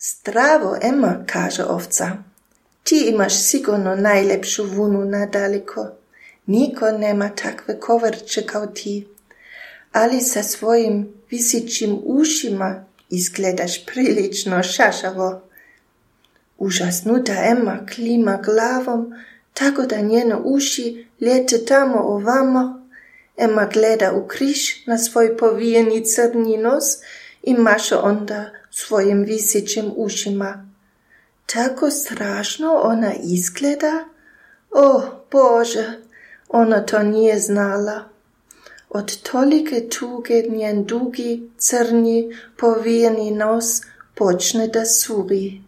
Zdravo, Emma, kaže ovca. Ti imaš sigurno najlepšu vunu nadaleko. Niko nema takve koverče kao ti. Ali sa svojim visićim ušima izgledaš prilično šašavo. Užasnuta Emma klima glavom, tako da njene uši lete tamo ovamo. Emma gleda u križ na svoj povijeni crni nos i maše onda svojim visićim ušima. Tako strašno ona izgleda? O, Bože, ona to nije znala. Od tolike tuge njen dugi, crni, povijeni nos počne da suri.